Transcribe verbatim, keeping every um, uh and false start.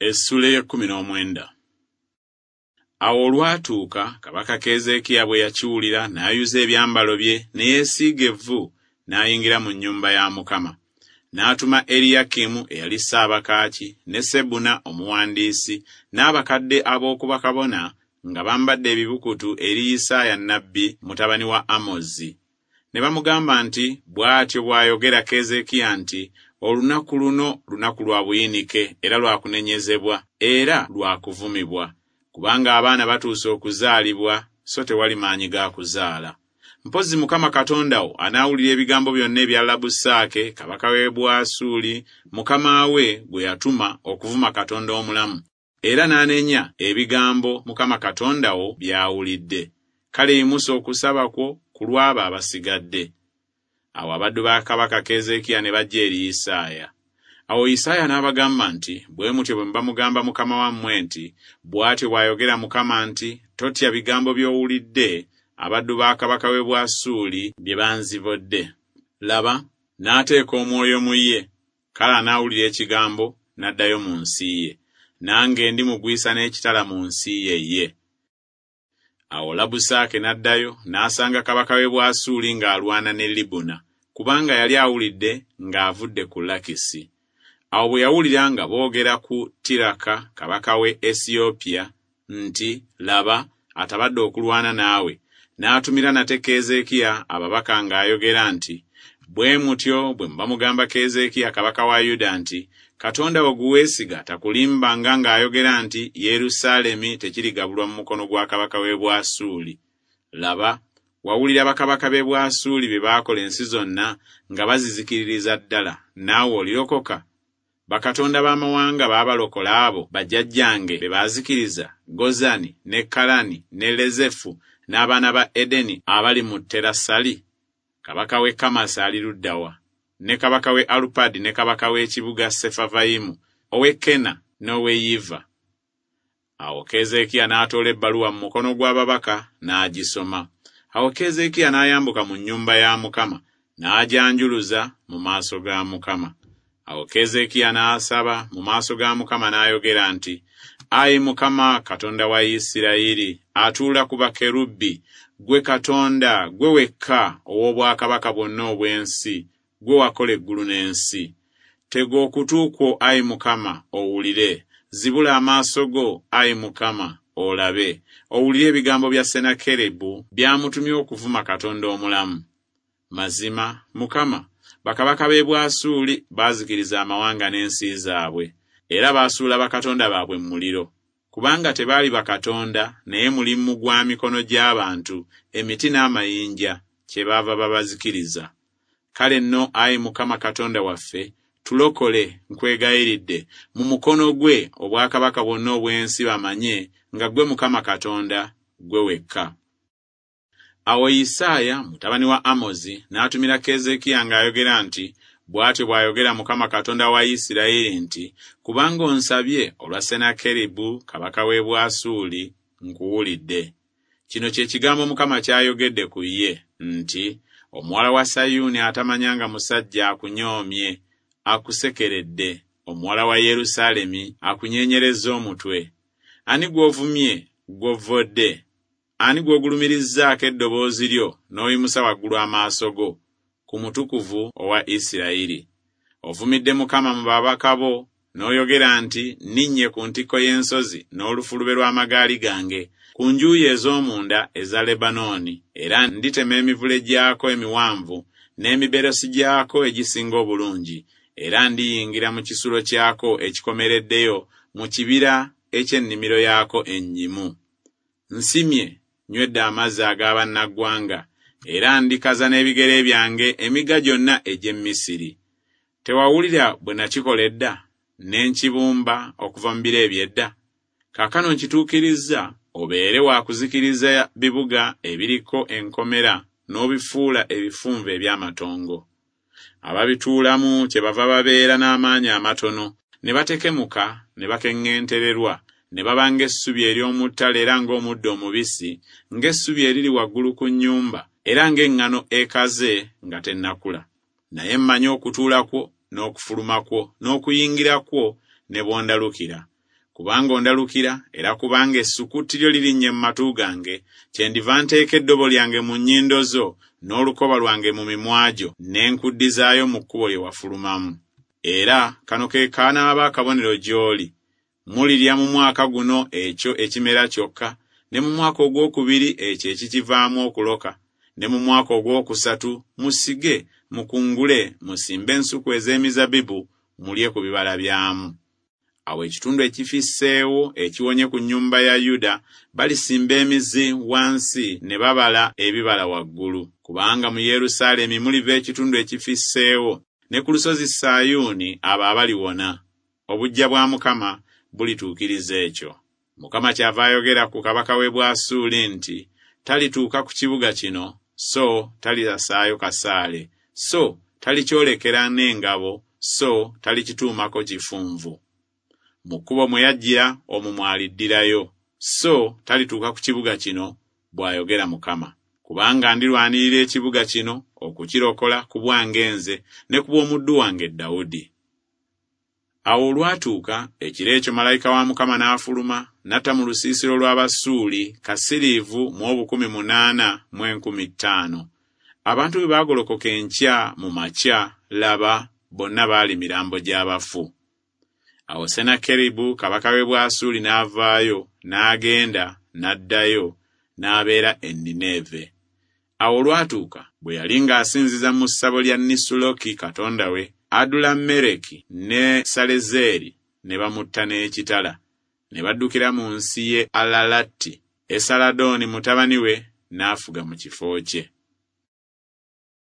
Essula ey'ekkumi n'omwenda. Awo olwatuuka kabaka Keezeekiya bwe yakiwulira n'ayuza ebyambalo bye ne yeesiiga evvu n'ayingira mu nnyumba ya Mukama. N'atuma Eriyakimu eyali Ssaabakaaki ne Sebuna omuwandiisi n'abakadde ab'oku bakabona nga bambadde ebibukutu eri Isaaya nnabbi mutabani wa Amozi. Ne bamugamba nti, bw'atyo bw'ayogera Keezeekiya nti, olunaku luno lunaku lwa buyinike era lwa kunenyezebwa era lwa kuvumibwa, kubanga abaana batuuse okuzaalibwa so tewali maanyi ga kuzaala. Mpozzi Mukama Katonda wo anaawulira ebigambo byonna ebya Labusaake kabaka w'e Bwasuuli mukama we gwe yatuma okuvuma Katonda omulamu, era n'anenya ebigambo Mukama Katonda wo by'awulidde. Kale yimusa okusaba kwo ku lw'abo abasigadde. Awo abaddu ba kabaka Keezeekiya ne bajja eri Isaaya. Awo Isaaya n'abagamba nti, bwe mutyo bwe muba mugamba mukama wammwe nti, bw'atyo bw'ayogera Mukama nti, totya bigambo by'owulidde abaddu ba kabaka w'e Bwasuuli bye banzibodde. Laba, n'ateeka omwoyo mu ye, kale anaawulira ekigambo n'addayo mu nsi ye. Nange ndimugwisa n'ekitala mu nsi ye ye. Awo Labusaake n'addayo n'asanga kabaka w'e Bwasuuli ng'alwana ne Libuna, kubanga yali awulidde ng'avudde ku Lakisi. Awo bwe yawulira nga boogera ku Tiraka kabaka w'e Esiyopya nti, laba, atabadde okulwana naawe, n'atumira nate Keezeekiya ababaka ng'ayogera nti, bwe mutyo bwe muba mugamba Keezeekiya kabaka wa Yuda nti, Katonda wo gwe weesiga takulimbanga ng'ayogera nti, Yerusaalemi tekirigabulwa mu mukono gwa kabaka w'e Bwasuuli. Laba, wawulira bakabaka b'e Bwasuuli bye baakola ensi zonna nga bazizikiririza ddala, naawe olirokoka? Bakatonda b'amawanga baabalokola abo bajjajjange be baazikiriza, Gozani ne Kalani ne Lezefu n'abaana ba Edeni abali mu Terasali? Kabaka w'e Kamasi ali ludda wa? Ne kabaka w'e Alupadi ne kabaka w'ekibuga Sefavayimu, ow'e Kena n'ow'e Yiva. Awo Keezeekiya n'atoola ebbaluwa mu mukono gw'ababaka n'agisoma. Awo Keezeekiya n'ayambuka mu nnyumba ya Mukama n'agyanjuluza mu maaso ga Mukama. Awo Keezeekiya n'asaba mu maaso ga Mukama n'ayogera nti, Ayi Mukama Katonda wa Isirayiri, atuula ku bakerubi, ggwe Katonda, ggwe wekka ow'obwakabaka bwonna obw'ensi, ggwe wakola eggulu n'ensi. Tega okutu kwo, ayi Mukama, owulire. Zibula amaaso go, ayi Mukama, olabe. Owulire ebigambo bya Sennakeribu by'amutumye okuvuma Katonda omulamu. Mazima, Mukama, bakabaka b'e Bwasuuli baazikiriza amawanga n'ensi zaabwe, era baasuula bakatonda baabwe mu muliro. Kubanga tebaali bakatonda, naye mulimu gwa mikono gy'abantu, emiti n'amayinja, kyebaava babazikiriza. Kale nno, ayi Mukama Katonda waffe, tulokole, nkwegayiridde, mu mukono gwe obwakabaka bwonna obw'ensi bamanye nga ggwe Mukama Katonda, ggwe wekka. Awo Isaaya mutabani wa Amozi n'atumira Keezeekiya ng'ayogera nti, bw'atyo bw'ayogera Mukama Katonda wa Isirayiri nti, kubanga onsabye olwa Sennakeribu kabaka w'e Bwasuuli, nkuwulidde. Kino kye kigambo Mukama ky'ayogedde ku ye nti, omuwala wa Sayuuni atamanyanga musajja akunyoomye, akusekeredde, omuwala wa Yerusaalemi akunyeenyerezza omutwe. Ani gw'ovumye gw'ovvodde? Ani gw'ogulumirizzaako eddoboozi lyo n'oyimusa waggulu amaaso go ku mutukuvu owa Isirayiri? Ovumidde Mukama mu babaka bo n'oyogera nti, nninnye ku ntikko y'ensozi n'olufulube lw'amagaali gange ku njuyi ez'omunda eza Lebanooni, era nditema emivule gyako emiwanvu n'emiberosi gyako egisinga obulungi, era ndiyingira mu kisulo kyako ekikomereddeyo mu kibira eky'ennimiro yaako ennyimu. Nsimye, nywedde amazzi ag'abannaggwanga, era ndikaza n'ebigere byange emigga gyonna egy'e Misiri. Tewawulira bwe nakikola edda, ne nkibumba okuva mu biro eby'edda? Kaakano nkituukirizza, obeere wa kuzikiriza bibuga ebiriko enkomera n'obifuula ebifunvu eby'amatongo. Ababituulamu kyebava babeera n'amaanyi amatono, ne batekemuka ne bakeŋŋentererwa, ne baba ng'essubi ery'omu ttale era ng'omuddo omubisi, ng'essubi eriri waggulu ku nnyumba, era ng'eŋŋano ekaze nga tennakula. Naye mmanyi okutuula kwo n'okufuluma kwo n'okuyingira kwo ne bw'ondalukira. Kubanga ondalukira, era kubanga essukutti lyo lirinnye mu matu gange, kyendiva nteeka eddobo lyange mu nnyindo zo, n'olukoba lwange mu mimwa gyo, ne nkuddizaayo mu kkubo lye wafulumamu. Era kano ke kanaaba akabonero gy'oli. Mulirya mu mwaka guno ekyo ekimera kyokka, ne mu mwaka ogwokubiri ekyo ekikivaamu okuloka, ne mu mwaka ogwokusatu musige, mukungule, musimbe ensuku ez'emizabbibu, mulye ku bibala byamu. Awo ekitundu ekifisseewo ekiwonye ku nnyumba ya Yuda balisimba emizi wansi ne babala ebibala waggulu. Kubanga mu Yerusaalemi muliva ekitundu ekifisseewo, ne ku lusozi Sayuuni abo abaliwona. Obuggya bwa Mukama bulituukiriza ekyo. Mukama kyava ayogera ku kabaka w'e Bwasuuli nti, Talituuka ku kibuga kino, so talirasaayo kasaale, so talikyolekera n'engabo, so talikituumako kifunvu. Mu kkubo mwe yajjira omwo mw'aliddirayo, so talituuka ku kibuga kino, bw'ayogera Mukama. Kubanga ndirwanirira ekibuga kino okukirokola ku bwange nze ne ku bw'omuddu wange Dawudi. Awo olwatuuka ekiro ekyo malayika wa Mukama n'afuluma n'atta mu lusiisiro lw'Abasuuli kasiriivu mu obukumi munaana mu enkumi ttaano. Abantu bwe baagolokoka enkya mu makya, laba, bonna baali mirambo gy'abafu. Awo Sennakeribu kabaka w'e Bwasuuli n'avaayo, n'agenda, n'addayo, n'abeera e Nineeve. Awo olwatuuka bwe yali ng'asinziza mu ssabo lya Nisuloki katonda we, Adulammereki ne Salezeeri ne bamutta n'ekitala, ne baddukira mu nsi y'e Alalati. Esaladoni mutabani we n'afuga mu kifo kye.